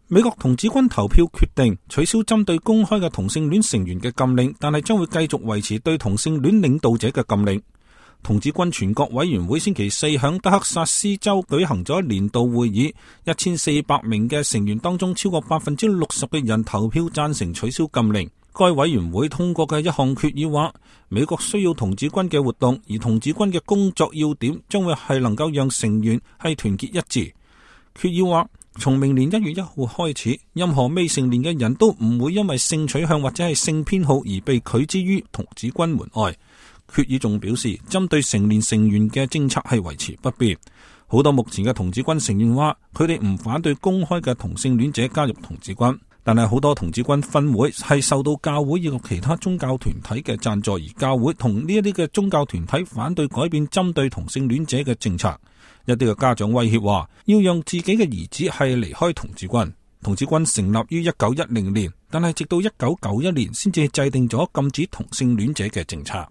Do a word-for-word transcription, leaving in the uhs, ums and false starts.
美國童子軍投票決定取消針對公開嘅同性戀成員嘅禁令，但係將會繼續維持對同性戀領導者嘅禁令。童子軍全國委員會星期四響德克薩斯州舉行咗年度會議，一千四百名嘅成員當中，超過百分之六十嘅人投票贊成取消禁令。該委員會通過嘅一項決議話，美國需要童子軍嘅活動，而童子軍嘅工作要點將會係能夠讓成員係團結一致。決議話，從明年一月一號開始，任何未成年嘅人都唔會因為性取向或者係性偏好而被拒之於童子軍門外。決議仲表示，針對成年成員嘅政策係維持不變。好多目前嘅童子軍成員話，佢哋唔反對公開嘅同性戀者加入童子軍，但係好多童子軍分會係受到教會以及其他宗教團體嘅贊助，而教會同呢一啲嘅宗教團體反對改變針對同性戀者嘅政策。一啲嘅家長威脅話，要讓自己嘅兒子係離開童子軍。童子軍成立於一九一零年，但係直到一九九一年先至制定咗禁止同性戀者嘅政策。